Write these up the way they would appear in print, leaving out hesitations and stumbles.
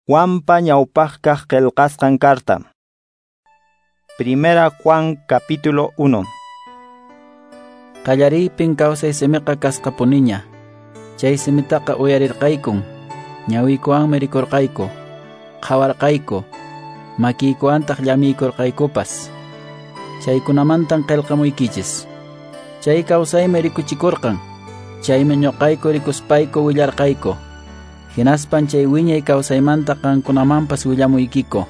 Juanpa ñawpaqkaq qillqasqan carta. Primera Juan capítulo 1. Qallariypin kawsay simiqa kasqapuniña. Chay simitaqa uyarirqaykun, ñawiykuwanmi rikurqayku, qhawarqayku, makiykuwantaq llamiykurqaykupas. Chaykunamantan qillqamuykichis. Chay kawsaymi rikuchikurqan, chaymi ñuqayku rikuspayku willarqayku. Hinaspan chay wiñay kawsaymanta qankunamanpas willamuykiko.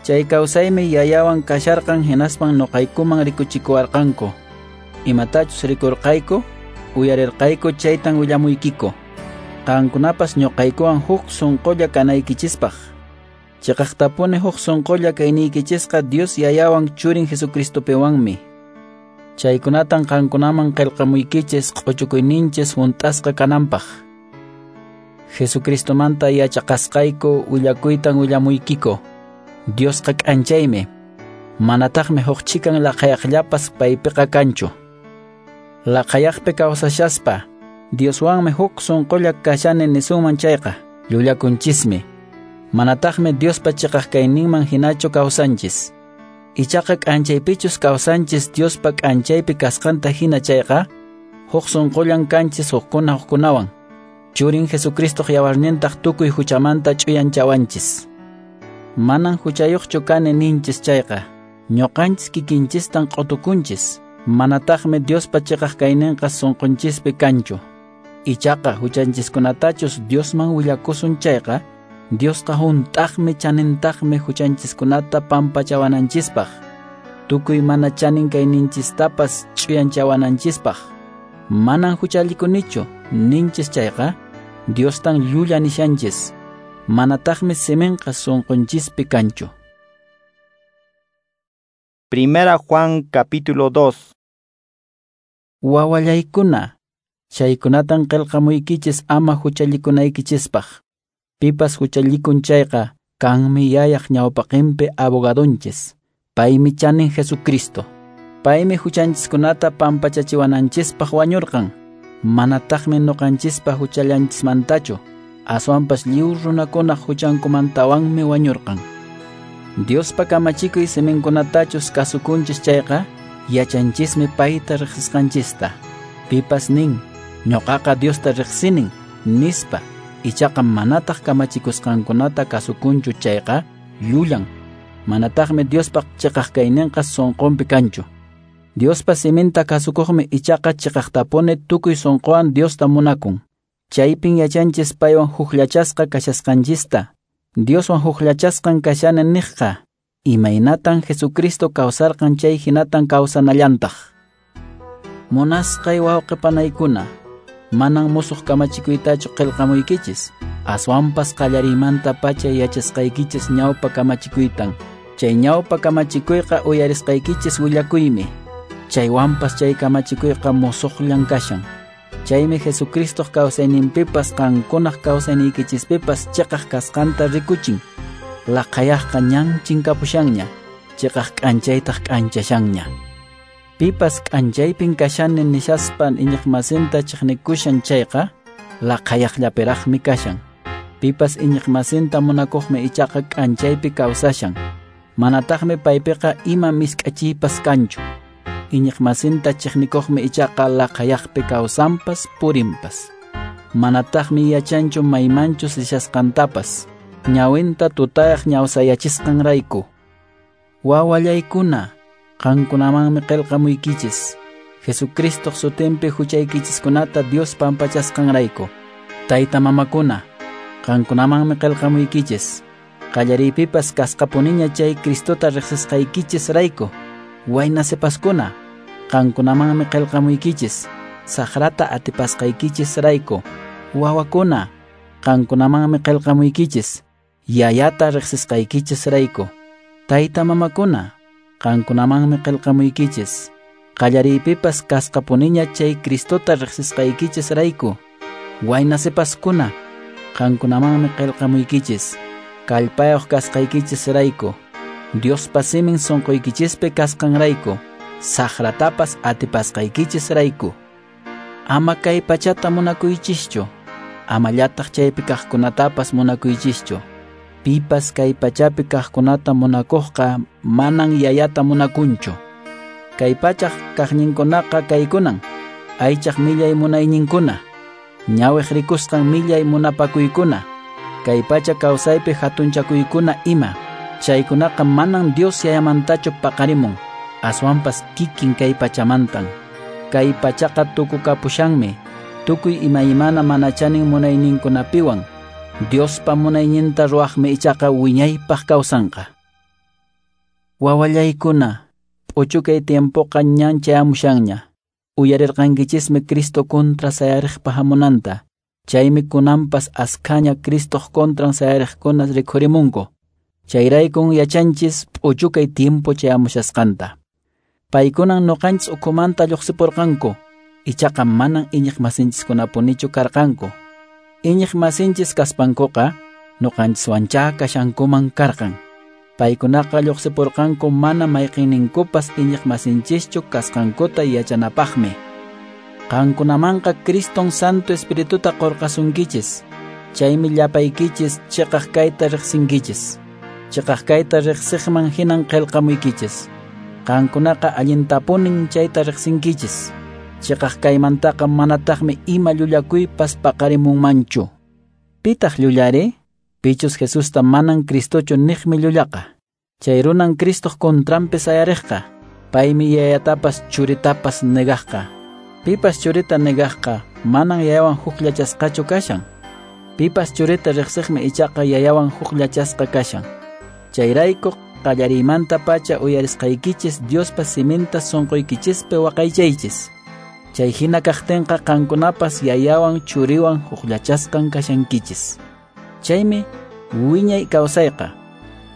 Chay kawsaymi yayawan kasharqan hinaspan ñuqaykuman rikuchikuwarqanku. Imatachus rikurqayku, uyarirqayku chaytan willamuykiko. Qankunapas ñuqaykuwan huk sunqulla kanaykichispaq. Chiqaqtapuni huk sunqulla kayniykichisqa Dios yayawan churin Jesucristopiwanmi. Chaykunatan qankunaman qillqamuykichis q'uchukuyninchis hunt'asqa kananpaq. Jesucristomanta yachaqasqayku willakuytan willamuykiko. Diosqa k'anchaymi, manataqmi huk chikan laqhayaqllapas paypiqa kanchu. Laqhayaqpi kawsashaspa, Dioswanmi huk sunqulla kashani nisunman chayqa, llullakunchismi. Manataqmi Diospa chiqaq kayninman hinachu kawsanchis. Ichaqa k'anchaypichus kawsanchis Diospa k'anchaypi kasqanta hina chayqa, huk sunqullan kanchis hukkuna hukkunawan. Churin Jesucristoq yawarnintaq tukuy huchamanta ch'uyanchawanchis. Manan huchayuqchu kani ninchis chayqa, ñuqanchis kikinchistan q'utukunchis, manataqmi Diospa chiqaq kayninqa sunqunchispi kanchu. Ichaqa huchanchiskunatachus Diosman willakusun chayqa, Diosqa hunt'aqmi chanintaqmi huchanchiskunata pampachawananchispaq, tukuy mana chanin kayninchistapas ch'uyanchawananchispaq. Manan huchallikunichu ninchis chayqa, Diostan llulla nishanchis, manataqmi siminqa sunqunchispi kanchu. Primera Juan capítulo 2. Wawallaykuna, chaykunatan qillqamuykichis ama huchallikunaykichispaq. Pipas huchallikun chayqa, kanmi yayaq ñawpaqinpi abogadonchis, paymi chanin Jesucristo. Paymi huchanchiskunata pampachachiwananchispaq wañurqan, manataqmi ñuqanchispa huchallanchismantachu, aswanpas lliw runakunaq huchankumantawanmi wañurqan. Diospa kamachikuy siminkunatachus kasukunchis chayqa, yachanchismi payta riqsisqanchista. Pipas nin, ñuqaqa Diosta riqsinin, nispa, ichaqa manataq kamachikusqankunata kasukunchu chayqa, llullan. Manataqmi Diospa chiqaq kayninqa sunqunpi kanchu. Diospa siminta kasukuqmi ichaqa chiqaqtapuni tukuy sunquwan Diosta munakun. Chaypin yachanchis paywan hukllachasqa kashasqanchista. Dioswan hukllachasqan kashani niqqa, imaynatan Jesucristo kawsarqan chay hinatan kawsanallantaq. Munasqay wawqi panaykuna, manan musuq kamachikuytachu qillqamuykichis, aswanpas qallariymanta pacha yachasqaykichis ñawpa kamachikuytan. Chay ñawpa kamachikuyqa uyarisqaykichis willakuymi. Chaywanpas chay kamachikuyqa musuqllan kashan. Chaymi Jesucristoq kawsayninpipas qankunaq kawsayniykichispipas chiqaq kasqanta rikuchin. Laqhayaqqa ñan chinkapushanña, chiqaq k'anchaytaq k'anchashanña. Pipas k'anchaypin kashani nishaspan iñiqmasinta chiqnikushan chayqa, laqhayaqllapiraqmi kashan. Pipas iñiqmasinta munakuqmi ichaqa k'anchaypi kawsashan. Manataqmi paypiqa ima misk'achiypas kanchu. Iñiqmasinta chiqnikuqmi ichaqa laqhayaqpi kawsanpas purinpas. Manataqmi yachanchu maymanchus rishasqantapas, ñawinta tutayaq ñawsayachisqanrayku. Wawallaykuna, qankunamanmi qillqamuykichis, Jesucristoq sutinpi huchaykichiskunata Dios pampachasqanrayku. Tayta mamakuna, qankunamanmi qillqamuykichis, qallariypipas kasqapuniña chay Cristota riqsisqaykichisrayku. Wayna sipaskuna, qankunamanmi qillqamuykichis, saqrata atipasqaykichisrayku. Wawakuna, qankunamanmi qillqamuykichis, yayata riqsisqaykichisrayku. Tayta mamakuna, qankunamanmi qillqamuykichis, qallariypipas kasqapuniña chay Cristota riqsisqaykichisrayku. Wayna sipaskuna, qankunamanmi qillqamuykichis, kallpayuq kasqaykichisrayku. Diospa simin sunquykichispi kasqanrayku, saqratapas atipasqaykichisrayku. Ama kay pachata munakuychischu, amallataq chaypi kaqkunatapas munakuychischu. Pipas kay pachapi kaqkunata munakuqqa manan yayata munakunchu. Kay pachaq kaqninkunaqa kaykunan: aychaq millay munayninkuna, ñawiq rikusqan millay munapakuykuna, kay pacha kawsaypi hatunchakuykuna ima. Chaykunaqa manan Dios yayamantachu paqarimun, aswanpas kikin kay pachamantan. Kay pachaqa tukukapushanmi, tukuy imaymana mana chanin munayninkunapiwan. Diospa munayninta ruwaqmi ichaqa wiñaypaq kawsanqa. Wawallaykuna, p'uchukay tiempoqa ñan chayamushanña. Uyarirqankichismi Cristo contra sayariqpa hamunanta. Chaymi kunanpas askhaña Cristoq contran sayariqkuna rikhurimunku. Chayraykun yachanchis p'uchukay tiempo chayamushasqanta. Paykunan nuqanchis ukhumanta lluqsipurqanku, ichaqa manan iñiq masinchiskunapunichu karqanku. Iñiq masinchis kaspankuqa nuqanchiswanchá kashankuman karqan. Paykunaqa lluqsipurqanku mana mayqinninkupas iñiq masinchischu kasqankuta yachanapaqmi. Qankunamanqa Criston Santo Espirituta qurqasunkichis. Chaymi llapaykichis chiqaq kayta riqsinkichis. Chiqaq kayta riqsiqman hinan qillqamuykichis. Qankunaqa allintapunin chayta riqsinkichis. Chiqaq kaymantaqa manataqmi ima llullakuypas paqarimunmanchu. Pitaq llullari? Pichus Jesusta manan Cristochu niqmi llullaqa. Chay runan Cristoq contranpi sayariqqa. Paymi yayatapas churitapas negaqqa. Pipas churita negaqqa manan yayawan hukllachasqachu kashan. Pipas churita riqsiqmi ichaqa yayawan hukllachasqa kashan. Chayrayku qallariymanta pacha uyarisqaykichis Diospa siminta sunquykichispi waqaychaychis. Chay hina kaqtinqa qankunapas yayawan churiwan hukllachasqan kashankichis. Chaymi wiñay kawsayqa.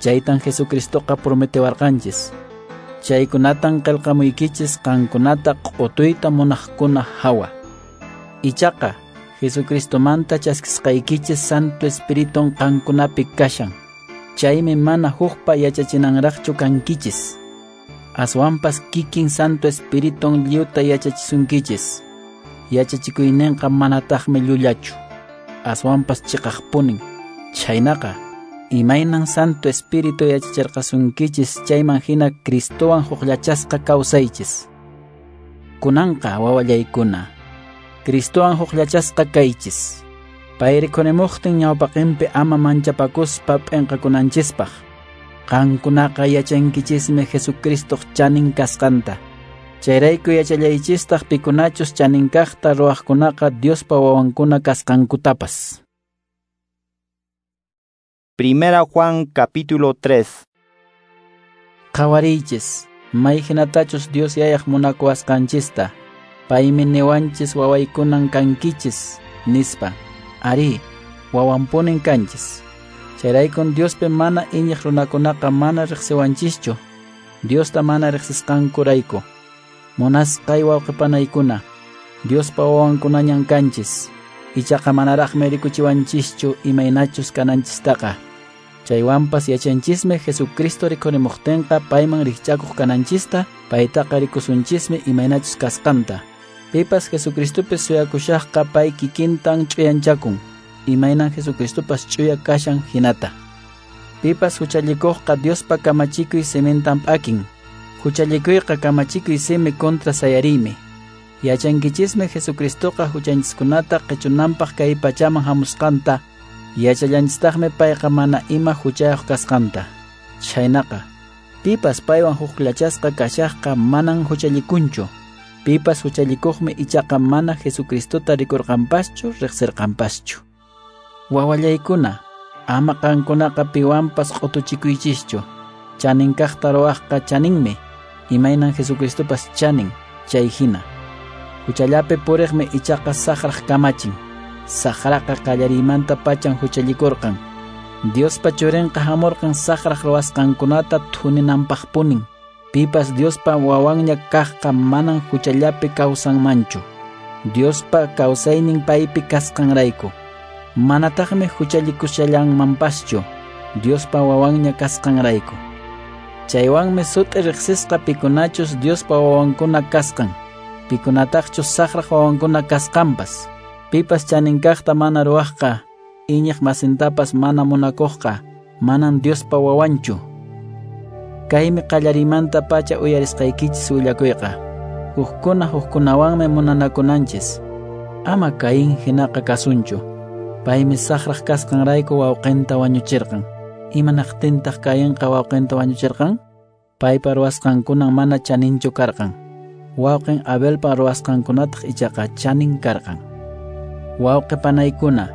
Chaytan Jesucristoqa prometiwarqanchis. Chaykunatan qillqamuykichis qankunata q'utuyta munaqkuna hawa. Ichaqa Jesucristomanta chaskisqaykichis Santo Espiritun qankunapi kashan. Chaymi mana hukpa yachachinanraqchu kankichis. Aswanpas kikin Santo Espiritun lliwta yachachisunkichis. Yachachikuyninqa manataqmi llullachu, aswanpas chiqaqpunin. Chhaynaqa, imaynan Santo Espíritu yachachirqasunkichis chayman hina Cristowan hukllachasqa kawsaychis. Kunanqa wawallaykuna, Cristowan hukllachasqa kaychis. Pay rikhurimuqtin ñawpaqinpi ama manchapakuspa p'inqakunanchispaq. Qankunaqa yachankichismi Jesucristoq chanin kasqanta. Chayrayku yachallaychistaq pikunachus chanin kaqta ruwaqkunaqa Diospa wawankuna kasqankutapas. Primera Juan capítulo 3. Qhawariychis, mayhinatachus Dios yayaq munakuwasqanchista. Paymi niwanchis wawaykunan kankichis, nispa. Ari, wawanpunin kanchis. Chayraykun Diospi mana iñiq runakunaqa mana riqsiwanchischu, Diosta mana riqsisqankurayku. Munasqay wawqipanaykuna, Diospa wawankunañan kanchis. Ichaqa manaraqmi rikuchiwanchischu imaynachus kananchistaqa. Chaywanpas yachanchismi Jesucristo rikhurimuqtinqa payman rikch'akuq kananchista, paytaqa rikusunchismi imaynachus kasqanta. Pipas Jesucristopi suyakushaqqa pay kikintan ch'uyanchakun, imaynan Jesucristopas ch'uya kashan hinata. Pipas huchallikuqqa Diospa kamachikuy simintan p'akin. Huchallikuyqa kamachikuy simi contra sayariymi. Yachankichismi Jesucristoqa huchanchiskunata qichunanpaq kay pachaman hamusqanta. Yachallanchistaqmi payqa mana ima huchayuq kasqanta. Chhaynaqa, pipas paywan hukllachasqa kashaqqa manan huchallikunchu. Pipas huchallikuqmi ichaqa mana Jesucristota rikurqanpaschu riqsirqanpaschu. Wawallaykuna, ama qankunaqa piwanpas q'utuchikuychischu. Chanin kaqta ruwaqqa chaninmi, imaynan Jesucristopas chanin, chay hina. Huchallapi puriqmi ichaqa saqraq kamachin. Saqraqa qallariymanta pachan huchallikurqan. Diospa churinqa hamurqan saqraq ruwasqankunata thuninanpaqpunin. Pipas Diospa wawanña kaqqa manan huchallapi kawsanmanchu. Diospa kawsaynin paypi kasqanrayku. Manataqmi huchallikushallanmanpaschu, Diospa wawanña kasqanrayku. Chaywanmi sut'i riqsisqa pikunachus Diospa wawankuna kasqan, pikunataqchus saqraq wawankuna kasqanpas. Pipas chanin kaqta mana ruwaqqa, iñiq masintapas mana munakuqqa, manan Diospa wawanchu. Kaymi qallarimanta pacha uyarisqaykichis willakuyqa. Hukkuna hukkunawanmi munanakunanchis. Ama Caín hinaqa kasunchu. Paymi saqraq kasqanrayku wawqinta wañuchirqan. Imanaqtintaq Cainqa wawqinta wañuchirqan? Paypa ruwasqankunan mana chaninchu karqan. Wawqin Abelpa ruwasqankunataq ichaqa chanin karqan. Wawqi panaykuna,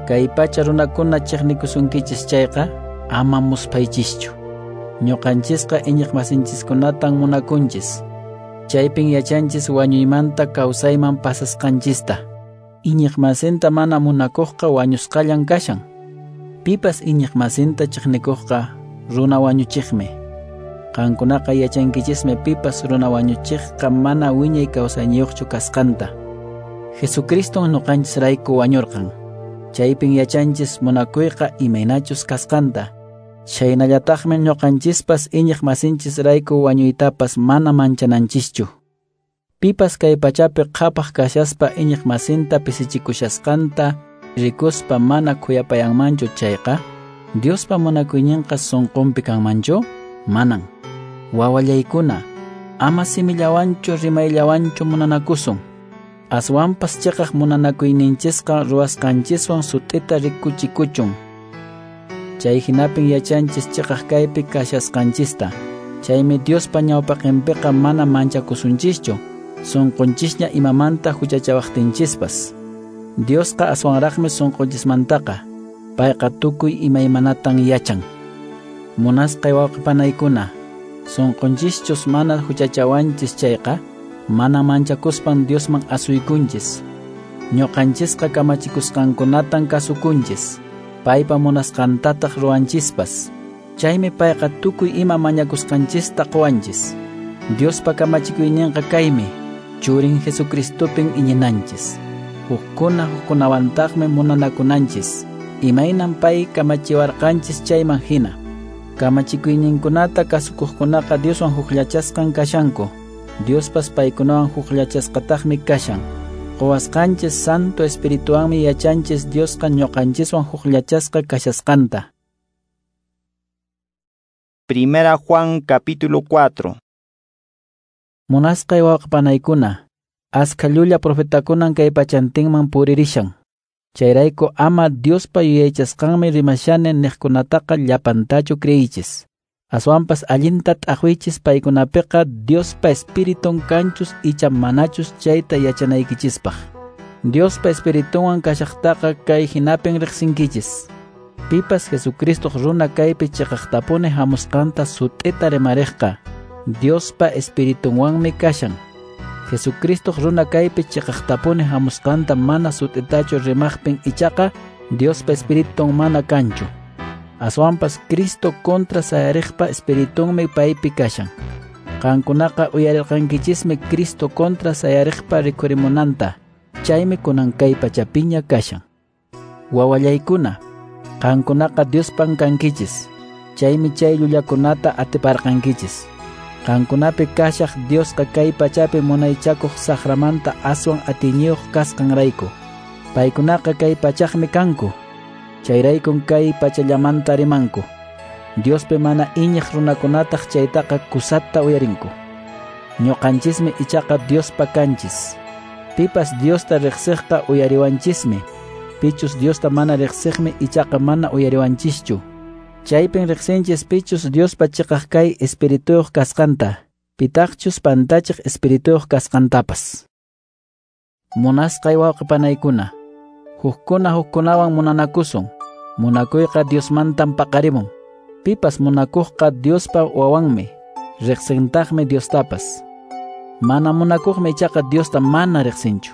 kay pacha runakuna chiqnikusunkichis chayqa ama musphaychischu. Ñuqanchisqa iñiqmasinchiskunatan munakunchis. Chaypin yachanchis wañuymanta kawsayman pasasqanchista. Iñiqmasinta mana munakuqqa wañusqallan kashan. Pipas iñiqmasinta chiqnikuqqa runa wañuchiqmi. Qankunaqa yachankichismi pipas runa wañuchiqqa mana wiñay kawsayniyuqchu kasqanta. Jesucriston ñuqanchisrayku wañurqan. Chaypin yachanchis munakuyqa imaynachus kasqanta. Chaynallataqmi ñuqanchispas iñiqmasinchisrayku wañuytapas mana manchananchischu. Pipas kay pachapi qhapaq kashaspa iñiqmasinta pisichikushasqanta rikuspa mana khuyapayanmanchu chayqa, Diospa munakuyninqa sunqunpi kanmanchu? Manan. Wawallaykuna, ama simillawanchu rimayllawanchu munanakusun. Aswanpas chiqaq munanakuyninchisqa ruwasqanchiswan sut'ita rikuchikuchun. Chay hinapin yachanchis chiqaq kaypi kashasqanchista. Chaymi Diospa ñawpaqinpiqa mana manchakusunchischu, sunqunchisña imamanta huchachawaqtinchispas. Diosqa aswanraqmi sunqunchismantaqa, payqa tukuy imaymanatan yachan. Munasqay wawqipanaykuna, sunqunchischus mana huchachawanchis chayqa, mana manchakuspan Diosman asuykunchis. Ñuqanchisqa kamachikusqankunatan kasukunchis, paypa munasqantataq ruwanchispas. Chaymi payqa tukuy ima mañakusqanchista quwanchis. Diospa kamachikuyninqa kaymi, Churin Jesucristopin iñinanchis. Hukkuna hukkunawantaqmi munanakunanchis, imaynan pay kamachiwarqanchis chayman hina. Kamachikuyninkunata kasukuqkunaqa Dioswan hukllachasqan kashanku. Diospas paykunawan hukllachasqataqmi kashan. Quwasqanchis Santo Espirituwanmi yachanchis Diosqa ñuqanchiswan hukllachasqa kashasqanta. Primera Juan capítulo 4. Munasqay wawqipanaykuna, askha llulla profetakunan kay pachantinman puririshan. Chayrayku ama Diospa yuyaychasqanmi rimashani niqkunataqa llapantachu creyichis. Aswanpas allinta t'aqwichis paykunapiqa Diospa Espiritun kanchus icha manachus chayta yachanaykichispaq. Diospa Espiritunwan kashaqtaqa kay hinapin riqsinkichis. Pipas Jesucristo runa kaypi chiqaqtapuni hamusqanta sut'ita rimariqqa Diospa Espiritunwanmi kashan. Jesucristo runa kaypi chiqaqtapuni hamusqanta mana sut'itachu rimaqpin ichaqa Diospa Espiritun mana kanchu. Aswanpas Cristo contra sayariqpa Espiritunmi paypi kashan. Qankunaqa uyarirqankichismi Cristo contra sayariqpa rikhurimunanta. Chaymi kunan kay pachapiña kashan. Wawallaykuna, qankunaqa Diospan kankichis. Chaymi chay llullakunata atiparqankichis. Qankunapi kashaq Diosqa kay pachapi munaychakuq saqramanta aswan atiyniyuq kasqanrayku. Paykunaqa kay pachaqmi kanku. Chayraykun kay pachallamanta rimanku. Diospi mana iñiq runakunataq chaytaqa kusata uyarinku. Ñuqanchismi ichaqa Diospa kanchis. Pipas Diosta riqsiqqa uyariwanchismi. Pichus Diosta mana riqsiqmi ichaqa mana uyariwanchischu. Chaypin riqsinchis pichus Diospa chiqaq kay espirituyuq kasqanta, pitaqchus pantachiq espirituyuq kasqantapas. Munasqay wawqipanaykuna, hukkuna hukkunawan munanakusun. Munakuyqa Diosmantan paqarimun. Pipas munakuqqa Diospa wawanmi, riqsintaqmi Diostapas. Mana munakuqmi ichaqa Diosta mana riqsinchu.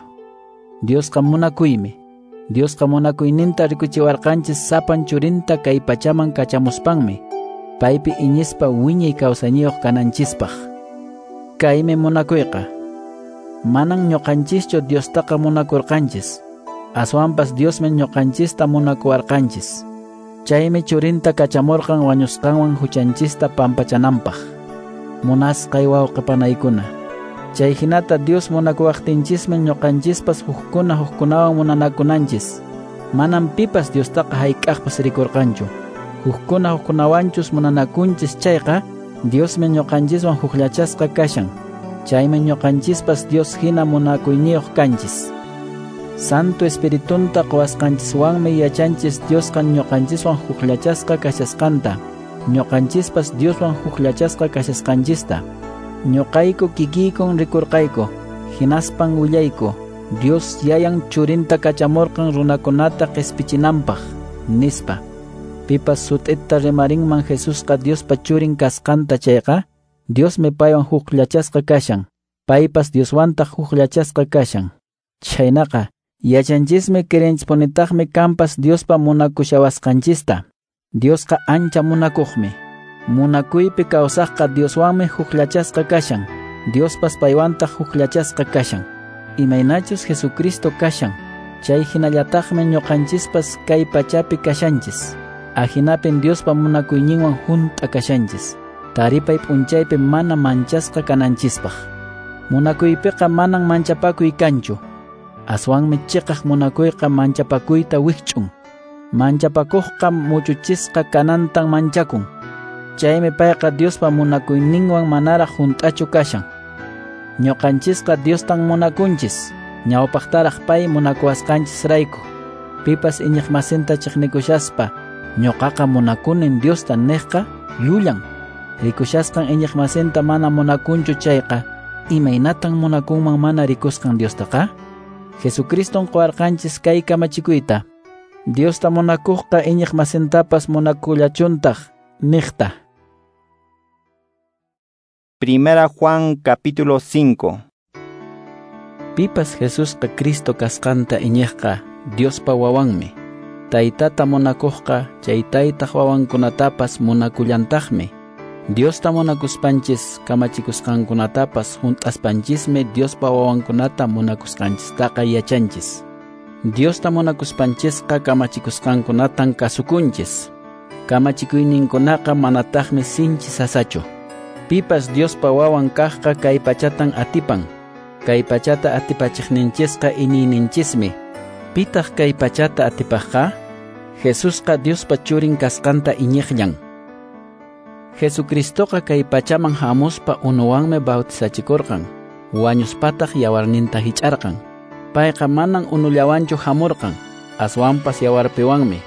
Diosqa munakuymi. Diosqa munakuyninta rikuchiwarqanchis sapan churinta kay pachaman kachamuspanmi, paypi iñispa wiñay kawsayniyuq kananchispaq. Kaymi munakuyqa. Manan ñuqanchischu Diostaqa munakurqanchis. Aswanpas Diosmi ñuqanchista munakuwarqanchis. Chaymi churinta kachamurqan wañusqanwan huchanchista pampachananpaq. Munasqay wawqipanaykuna, chay hinata Dios munakuwaqtinchismi ñuqanchispas hukkuna hukkunawan munanakunanchis. Manam pipas Diostaqa hayk'aqpas rikurqanchu. Hukkuna hukkunawanchus munanakunchis chayqa, Diosmi ñuqanchiswan hukllachasqa kashan. Chaymi ñuqanchispas Dios hina munakuyniyuq kanchis. Santo Espiritunta quwasqanchiswanmi yachanchis Diosqa ñuqanchiswan hukllachasqa kashasqanta, ñuqanchispas Dioswan hukllachasqa kashasqanchista. Ñuqayku kikiykun rikurqayku, hinaspan willayku, Dios yayan churinta kachamurqan runakunata qispichinanpaq, nispa. Pipas sut'ita rimarinman Jesusqa Diospa churin kasqanta chayqa, Diosmi paywan hukllachasqa kashan, paypas Dioswantaq hukllachasqa kashan. Chhaynaqa, yachanchismi creenchispunitaqmi kanpas Diospa munakushawasqanchista. Diosqa ancha munakuqmi. Munakuypi kawsaqqa Dioswanmi hukllachasqa kashan, Diospas paywantaq hukllachasqa kashan. Imaynachus Jesucristo kashan, chay hinallataqmi ñuqanchispas kay pachapi kashanchis. Ahinapin Diospa munakuyninwan hunt'a kashanchis. Taripay p'unchaypi mana manchasqa kananchispaq. Munakuypiqa manan manchapakuy kanchu. Aswanmi chiqaq munakuyqa manchapakuyta wikch'un. Manchapakuqqa muchuchisqa kanantan manchakun. Chaymi payqa Diospa munakuyninwan manaraq hunt'achu kashan. Ñuqanchisqa Diostan munakunchis, ñawpaqtaraq pay munakuwasqanchisrayku. Pipas iñiqmasinta chiqnikushaspa, ñuqaqa munakunin Diosta niqqa llullan. Rikushasqan iñiqmasinta mana munakunchu chayqa, imaynatan munakunman mana rikusqan Diostaqa? Jesucriston quwarqanchis kay kamachikuyta. Diosta munakuqqa iñiqmasintapas munakullachuntaq, niqta. Primera Juan capítulo 5. Pipas Jesusqa Cristo kasqanta iñiqqa Diospa wawanmi. Taytata munakuqqa chay taytaq wawankunatapas munakullantaqmi. Diosta munakuspanchis kamachikusqankunatapas hunt'aspanchismi Diospa wawankunata munakusqanchistaqa yachanchis. Diosta munakuspanchisqa kamachikusqankunatan kasukunchis. Kamachikuyninkunaqa manataqmi sinchi sasachu. Pipas Diospa wawan kaqqa kay pachatan atipan. Kay pachata atipachiqninchisqa iñiyninchismi. Pitaq kay pachata atipaqqa? Jesusqa Diospa churin kasqanta iñiqllan. Jesucristoqa kay pachaman hamuspa unuwanmi bautizachikurqan, wañuspataq yawarninta hich'arqan. Payqa manan unullawanchu hamurqan, aswanpas yawarpiwanmi.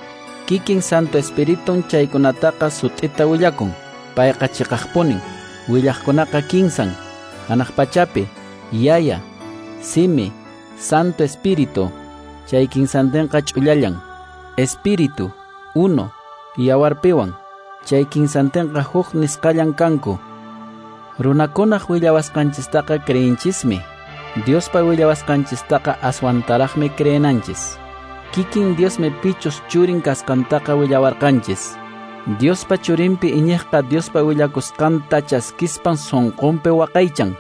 Kikin Santo Espiritun chaykunataqa sut'ita willakun. Payqa chiqaqpunin. Willaqkunaqa kinsan, hanaq pachapi, Yaya, Simi, Santo Espíritu. Chay kinsantinqa ch'ullallan. Espíritu, uno, yawarpiwan. Chay kinsantinqa huk nisqallan kanku. Runakunaq willawasqanchistaqa creenchismi. Diospa willawasqanchistaqa aswantaraqmi creenanchis. Kikin Diosmi pichus churin kasqantaqa willawarqanchis. Diospa churinpi iñiqqa Diospa willakusqanta chaskispan sunqunpi waqaychan.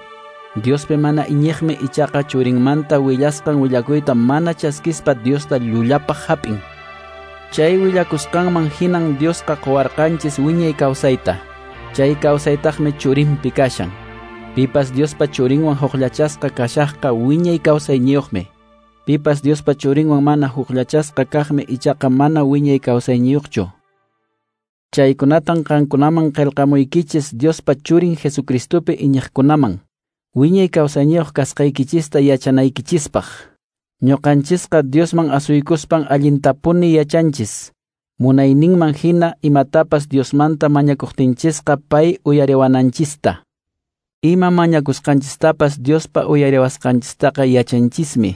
Diospi mana iñiqmi ichaqa churinmanta willasqan willakuyta mana chaskispa Diosta llullapaq hap'in. Chay willakusqanman hinan Diosqa quwarqanchis wiñay kawsayta. Chay kawsaytaqmi churinpi kashan. Pipas Diospa churinwan hukllachasqa kashaqqa wiñay kawsayniyuqmi. Pipas Diospa churinwan mana hukllachasqa kaqmi ichaqa mana wiñay kawsayniyuqchu. Chaykunatan qankunaman qillqamuykichis Diospa churin Jesucristopi iñiqkunaman. Wiñay kawsayniyuq kasqaykichista yachanaykichispaq. Ñuqanchisqa Diosman asuykuspan allintapuni yachanchis. Munayninman hina imatapas Diosmanta mañakuqtinchisqa pay uyariwananchista. Ima mañakusqanchistapas Diospa uyariwasqanchistaqa yachanchismi.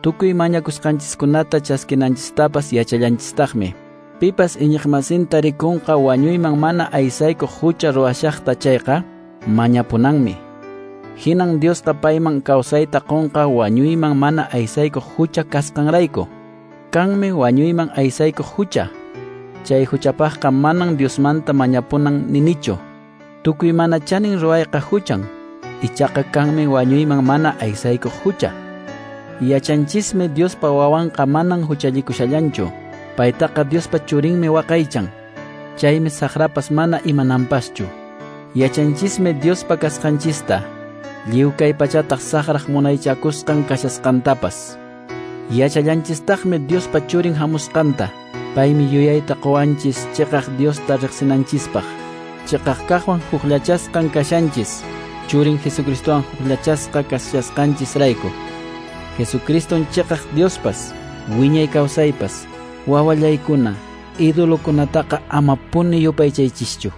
Tukuy mañakusqanchiskunata chaskinanchistapas yachallanchistaqmi. Pipas iñiqmasinta rikunqa wañuyman mana aysaykuq hucha ruwashaqta chayqa mañapunanmi. Hinan Diosqa payman kawsayta qunqa wañuyman mana aysaykuq hucha kasqanrayku. Kanmi wañuyman aysaykuq hucha. Chay huchapaqqa manan Diosmanta mañapunan ninichu. Tukuy mana chanin ruwayqa huchan. Ichaqa kanmi wañuyman mana aysaykuq hucha. Yachanchismi Diospa wawanqa manan huchallikushallanchu. Paytaqa Diospa churinmi waqaychan. Chaymi saqrapas mana imananpaschu. Yachanchismi Diospa kasqanchista. Lliw kay pachataq saqraq munaychakusqan kashasqantapas. Yachallanchistaqmi Diospa churin hamusqanta. Paymi yuyayta qowanchis cheqaq Diosta riqsinanchispaq. Cheqaq kaqwan hukllachasqan kashanchis, Churin Jesucristowan hukllachasqa kashasqanchisrayku. Jesucriston cheqaq Diospas, wiñay kawsaypas, wawallaykuna, idolokunataqa amapuni yupaychaychischu.